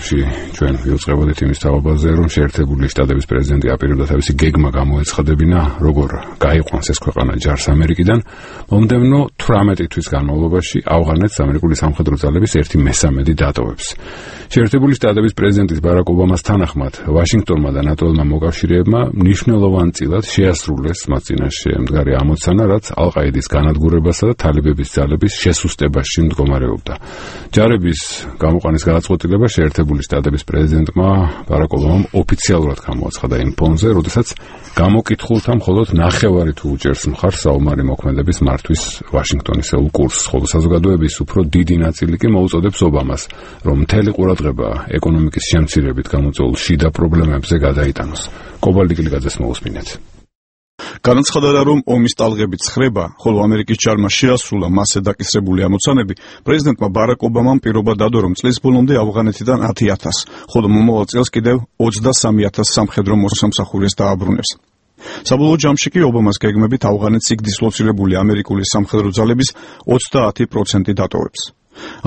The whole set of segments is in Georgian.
კავშირში ჩვენ ვიუწყებოდით იმის თავობაზე, რომ შეერთებული შტატების პრეზიდენტი აპირებდა თავისი გეგმა გამოეცხადებინა, როგორ გაიყვანს ეს ქვეყანა ჯარს ამერიკიდან, მომდევნო 18 თვის განმავლობაში ავღანეთს ამერიკული სამხედრო ძალების 1/3 დატოვებს. შეერთებული შტატების პრეზიდენტის ბარაკ ობამას თანახმად, ვაშინგტონმა და ნატო-ელმა მოკავშირეებმა მნიშვნელოვანწილად შეასრულეს მათ წინაშე მდგარი ამოცანა, რაც ალ-ყაიდის განადგურებასა და თალიბების ძალების შესუსტებაში მდგომარეობდა. ჯარების გამოყვანის გადაწყვეტილება შეერთებული შტატების პრეზიდენტმა ბარაკ ობამამ ოფიციალურად გამოაცხადა იმ ფონზე, როდესაც გამოკითხულთა მხოლოდ ნახევარი თუ უჭერს მხარს საომარი მოქმედების მართვის ვაშინგტონისეულ კურსს, ხოლო საზოგადოების უფრო დიდი ნაწილი კი მოუწოდებს ობამას, რომ მთელი ყურადღება ეკონომიკის შემცირებით გამოწვეულ შიდა პრობლემებზე გადაიტანოს. კობალდი კილიკაძეს მოусმინეთ. განაცხადა, რომ ომის ტალღები ცხრება, ხოლო ამერიკის ჯარმა შეასრულა მასზე დაკისრებული ამოცანები, პრეზიდენტმა ბარაკ ობამამ პირობა დადო, რომ წლის ბოლომდე ავღანეთიდან 10,000, ხოლო მომავალ წელს კიდევ 23,000 სამხედრო მოსამსახურეს დააბრუნებს. საბოლოო ჯამში კი ობამას გეგმებით ავღანეთს სიგდის ლოცირებული ამერიკული სამხედრო ძალების 30% დატოვებს.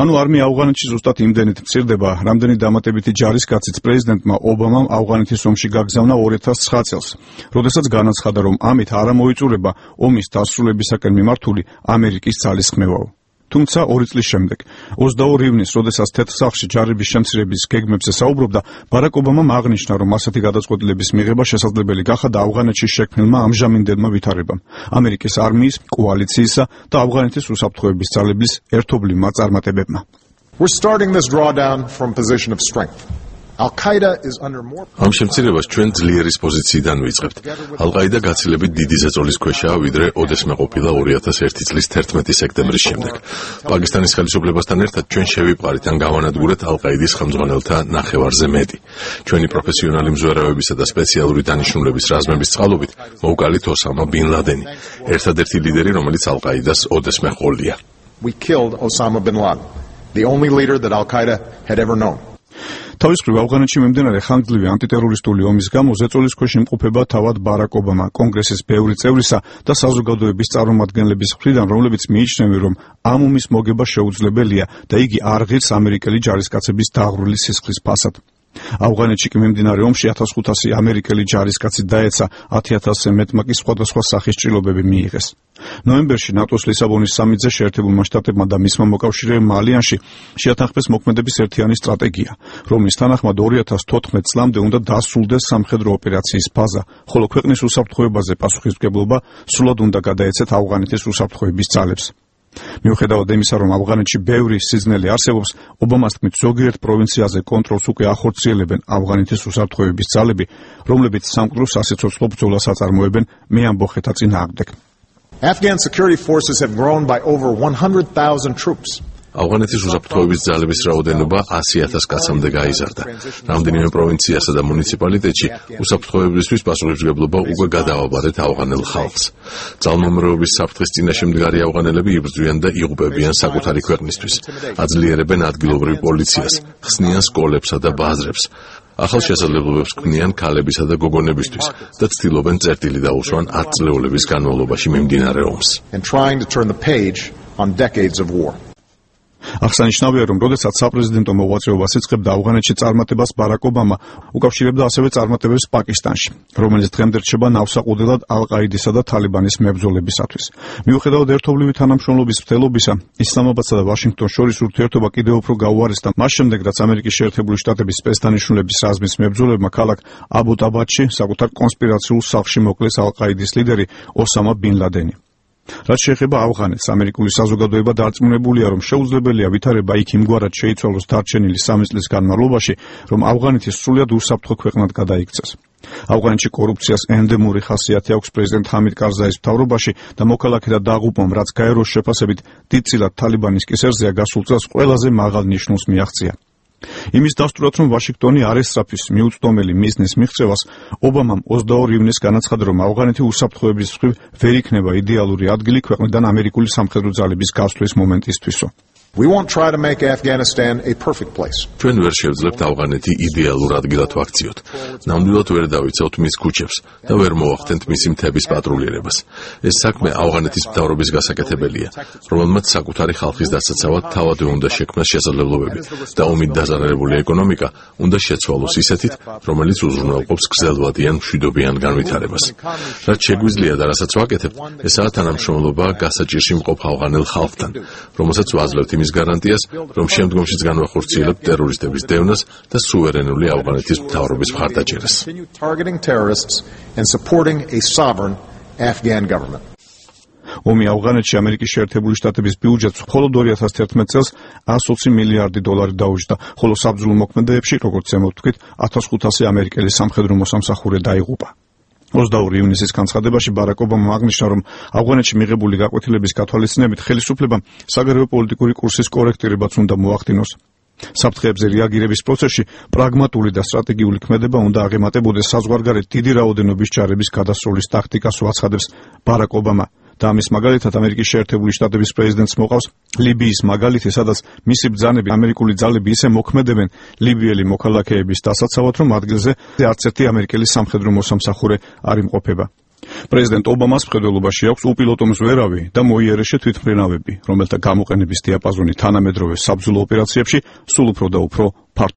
ანუ არმია ავღანეთში ზუსტად იმდენით მცირდება, რამდენი დამატებითი ჯარისკაციც პრეზიდენტმა ობამამ ავღანეთის ომში გაგზავნა 2009 წელს, როდესაც განაცხადა, რომ ამით არ მოიწურება ომის დასრულებისაკენ მიმართული ამერიკის ძალისხმევაო. თუმცა 2 წლის შემდეგ, 22 ივნისს, როდესაც თეთრსახლში ჯარების შემცირების გეგმებზე საუბრობდა, ბარაკ ობამამ აღნიშნა, რომ ასეთი გადაწყვეტილების მიღება შესაძლებელი გახადა ავღანეთში შექმნილმა ამჟამინდელმა ვითარებამ, ამერიკის არმიის, კოალიციისა და ავღანეთის უსაფრთხოების ძალების ერთობლივმა წარმატებებმა. We're starting this drawdown from a position of strength. Al-Qaeda is under more ამ შემცირებას ჩვენ ძლიერის პოზიციიდან ვიწყებთ. ალ-ყაიდა გაცილებით დიდი ზეწოლის ქვეშაა, ვიდრე ოდესმე ყოფილა 2001 წლის 11 სექტემბრის შემდეგ. პაკისტანის ხელისუფლებასთან ერთად ჩვენ შევიპყარით ან გავანადგურეთ ალ-ყაიდის ხელმძღვანელთა ნახევარზე მეტი. ჩვენი პროფესიონალი მზვერავებისა და სპეციალური დანიშნულების რაზმების წყალობით მოვკალით ოსამა ბინ ლადენი, ერთადერთი ლიდერი, რომელიც ალ-ყაიდას ოდესმე ჰყოლია. We killed Osama bin Laden, the only leader that Al-Qaeda had ever known. თავის მხრივ ავღანეთში მიმდინარე ხანგრძლივი ანტიტერორისტული ომის გამო ზეწოლის ქვეშ იმყოფება თავად ბარაკ ობამა, კონგრესის ბევრი წევრისა და საზოგადოების წარმომადგენლების მხრიდან, რომლებიც მიიჩნევენ, რომ ამ ომის მოგება შეუძლებელია და იგი არ ღირს ამერიკელი ჯარისკაცების დაღვრილი სისხლის ფასად. ავღანეთში კი მიმდინარე ომში 1500 ამერიკელი ჯარისკაცი დაეცა, 10,000-ზე მეტმა კი სხვადასხვა სახის ჭრილობები მიიღეს. ნოემბერში ნატოს ლისაბონის სამიტზე შეერთებულმა შტატებმა და მისმა მოკავშირეებმა ალიანსში შეათანხმეს მოქმედების ერთიანი სტრატეგია, რომლის თანახმად 2014 წლამდე უნდა დასრულდეს სამხედრო ოპერაციის ფაზა, ხოლო ქვეყნის უსაფრთხოებაზე პასუხისმგებლობა სრულად უნდა გადაეცეთ ავღანეთის უსაფრთხოების ძალებს. მიუხედავად იმისა, რომ ავღანეთში ბევრი სიზნელი არსებობს, ობამას თქმით, ზოგიერთ პროვინციაზე კონტროლს უკვე ახორციელებენ ავღანეთის უსაფრთხოების ძალები, რომლებიც სამკვდრო სასიცოცხლო ბრძოლას აწარმოებენ მეამბოხეთა წინააღმდეგ. Afghan security forces have grown by over 100,000 troops. ავღანეთის უსაფრთხოების ძალების რაოდენობა 100,000 კაცამდე გაიზარდა. რამდენიმე პროვინციასა და მუნიციპალიტეტში უსაფრთხოებისთვის პასუხისმგებლობა უკვე გადააბარეთ ავღანელ ხალხს. ძალმომრეობის საფრთხის წინაშე მდგარი ავღანელები იბრძვიან და იღუპებიან საკუთარი ქვეყნისთვის. აძლიერებენ ადგილობრივ პოლიციას, ხსნიან სკოლებსა და ბაზრებს. ახალ შესაძლებლობებს ქმნიან ქალებისა და გოგონებისთვის და ცდილობენ წერტილი დაუსვან 10 წლეულების განმავლობაში მიმდინარე ომს. And trying to turn the page on decades of war. აღსანიშნავია, რომ როდესაც საპრეზიდენტო მოღვაწეობას იწყებდა ავღანეთში წარმატებას, ბარაკ ობამა უკავშირებდა ასევე წარმატებებს პაკისტანში, რომელიც დღემდე რჩება ნავსაყუდელად ალ-ყაიდისა და თალიბანის მებრძოლებისათვის. მიუხედავად ერთობლივი თანამშრომლობის მცდელობისა, ისლამაბადსა და ვაშინგტონს შორის ურთიერთობა კიდევ უფრო გაუარესდა მას შემდეგ, რაც ამერიკის შეერთებული შტატების სპეცდანიშნულების რაზმის მებრძოლებმა ქალაქ აბუ-დაბადში საკუთარ კონსპირაციულ სახლში მოკლეს ალ-ყაიდის ლიდერი ოსამა ბინ ლადენი. რაც შეეხება ავღანეთს, ამერიკული საზოგადოება დარწმუნებულია, რომ შეუძლებელია ვითარება იქ იმგვარად შეიცვალოს დარჩენილი 3 წლის განმავლობაში, რომ ავღანეთი სრულად უსაფრთხო ქვეყნად გადაიქცეს. ავღანეთში კორუფციას ენდემური ხასიათი აქვს პრეზიდენტ ჰამიდ კარზაის მთავრობაში და მოქალაქეთა დაღუპვამ, რაც გაეროს შეფასებით დიდწილად თალიბანის კისერზეა გასულ წელს ყველაზე მაღალ ნიშნულს მიაღწია. იმის დასტურად, რომ ვაშინგტონი არ ესწრაფვის მიუწვდომელი მიზნის მიღწევას, ობამამ 22 ივნისს განაცხადა, რომ ავღანეთი უსაფრთხოების მხრივ ვერ იქნება იდეალური ადგილი ქვეყნიდან ამერიკული სამხედრო ძალების გასვლის მომენტისთვისო. We won't try to make Afghanistan a perfect place. ჩვენ ვერ შევძლებთ ავღანეთი იდეალურ ადგილად ვაქციოთ. ნამდვილად ვერ დავიცავთ მის ქუჩებს და ვერ მოვახდენთ მისი მთების პატრულირებას. ეს საქმე ავღანეთის მთავრობის გასაკეთებელია, რომელმაც საკუთარი ხალხის დასაცავად თავადვე უნდა შექმნას შესაძლებლობები და ომით დაზარალებული ეკონომიკა უნდა შეცვალოს ისეთით, რომელიც უზრუნველყოფს გრძელვადიან მშვიდობიან განვითარებას. რაც შეგვიძლია და რასაც ვაკეთებთ, ესაა თანამშრომლობა გასაჭირში მყოფ ავღანელ ხალხთან, რომელსაც ვაძლევთ იმის გარანტიას, რომ შემდგომშიც განვახორციელებთ ტერორისტების დევნას და სუვერენული ავღანეთის მთავრობის მხარდაჭერას. Targeting terrorists and supporting a sovereign Afghan government. ომი ავღანეთში ამერიკის შეერთებული შტატების ბიუჯეტს მხოლოდ 2011 წელს 120 მილიარდი დოლარი დაუჯდა, ხოლო საბრძოლო მოქმედებებში, როგორც ზემოთქვით, 1500 ამერიკელი სამხედრო მოსამსახურე დაიღუპა. 22 ივნისის განცხადებაში ბარაკ ობამამ აღნიშნა, რომ ავღანეთში მიღებული გაკვეთილების გათვალისწინებით ხელისუფლებამ საგარეო პოლიტიკური კურსის კორექტირებაც უნდა მოახდინოს. საფრთხეებზე რეაგირების პროცესში პრაგმატული და სტრატეგიული ქმედება უნდა აღემატებოდეს საზღვარგარეთ დიდი რაოდენობის ჯარების გადასროლის ტაქტიკას უაცხადებს ბარაკ ობამა. და ამის მაგალითად ამერიკის შეერთებული შტატების პრეზიდენტს მოყავს ლიბიის მაგალითი, სადაც მისი ბრძანები ამერიკული ძალები ისე მოქმედებენ ლიბიელი მოქალაქეების დასაცავად, რომ ადგილზე არც ერთი ამერიკელი სამხედრო მოსამსახურე არ იმყოფება. პრეზიდენტ ობამას მხედველობაში აქვს უპილოტო მზვერავი და მოიერეშე თვითმფრინავები, რომელთა გამოყენების დიაპაზონი თანამედროვე საბრძოლო ოპერაციებში სულ უფრო და უფრო